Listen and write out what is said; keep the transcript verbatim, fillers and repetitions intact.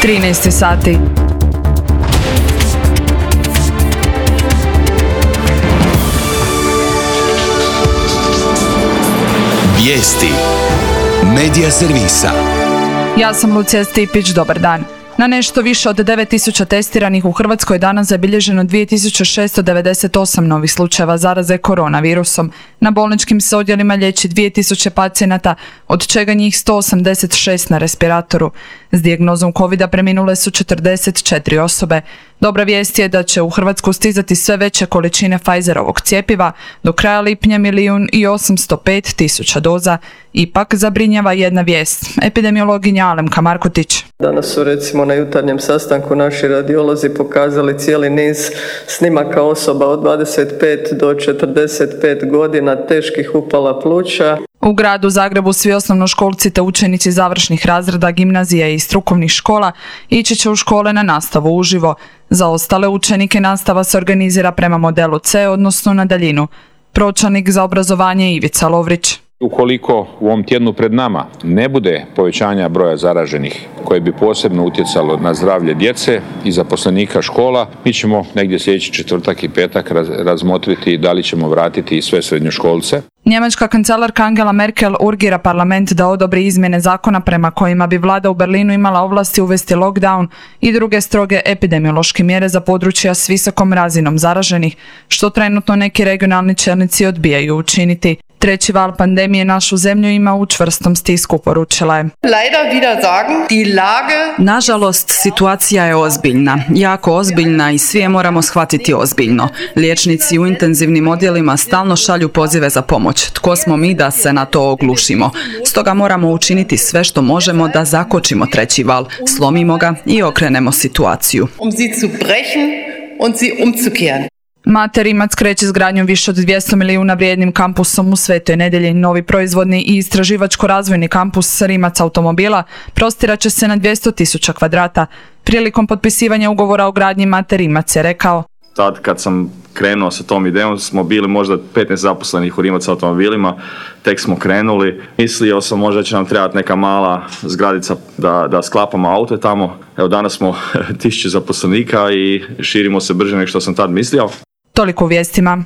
trinaest sati. Vijesti Medija servisa. Ja sam Lucija Stipić, dobar dan. Na nešto više od devet tisuća testiranih u Hrvatskoj je danas zabilježeno dvije tisuće šesto devedeset osam novih slučajeva zaraze koronavirusom. Na bolničkim se odjelima liječi dvije tisuće pacijenata, od čega njih sto osamdeset šest na respiratoru. S dijagnozom covida preminule su četrdeset četiri osobe. Dobra vijest je da će u Hrvatsku stizati sve veće količine Pfizerovog cjepiva, do kraja lipnja milijun i osamsto pet tisuća doza. Ipak zabrinjava jedna vijest. Epidemiologinja Alemka Markotić. Danas su recimo na jutarnjem sastanku naši radiolozi pokazali cijeli niz snimaka osoba od dvadeset pet do četrdeset pet godina teških upala pluća. U gradu Zagrebu svi osnovnoškolci te učenici završnih razreda gimnazija i strukovnih škola ići će u škole na nastavu uživo. Za ostale učenike nastava se organizira prema modelu C, odnosno na daljinu. Pročelnik za obrazovanje Ivica Lovrić. Ukoliko u ovom tjednu pred nama ne bude povećanja broja zaraženih koje bi posebno utjecalo na zdravlje djece i zaposlenika škola, mi ćemo negdje sljedeći četvrtak i petak razmotriti da li ćemo vratiti sve srednjoškolce. Njemačka kancelarka Angela Merkel urgira parlament da odobri izmjene zakona prema kojima bi vlada u Berlinu imala ovlasti uvesti lockdown i druge stroge epidemiološke mjere za područja s visokom razinom zaraženih, što trenutno neki regionalni čelnici odbijaju učiniti. Treći val pandemije našu zemlju ima u čvrstom stisku, poručila je. Nažalost, situacija je ozbiljna, jako ozbiljna i svi je moramo shvatiti ozbiljno. Liječnici u intenzivnim odjelima stalno šalju pozive za pomoć. Tko smo mi da se na to oglušimo? Stoga moramo učiniti sve što možemo da zakočimo treći val, slomimo ga i okrenemo situaciju. Mater Rimac kreće s gradnjom više od dvjesto milijuna vrijednim kampusom u Svetoj Nedjelji. Novi proizvodni i istraživačko-razvojni kampus Rimac automobila prostirat će se na dvjesto tisuća kvadrata. Prilikom potpisivanja ugovora o gradnji Mater Rimac je rekao: Tad kad sam krenuo sa tom idejom smo bili možda petnaest zaposlenih u Rimac automobilima, tek smo krenuli. Mislio sam možda će nam trebati neka mala zgradica da, da sklapamo aute tamo. Evo danas smo tisuće zaposlenika i širimo se brže nego što sam tad mislio. Toliko u vijestima.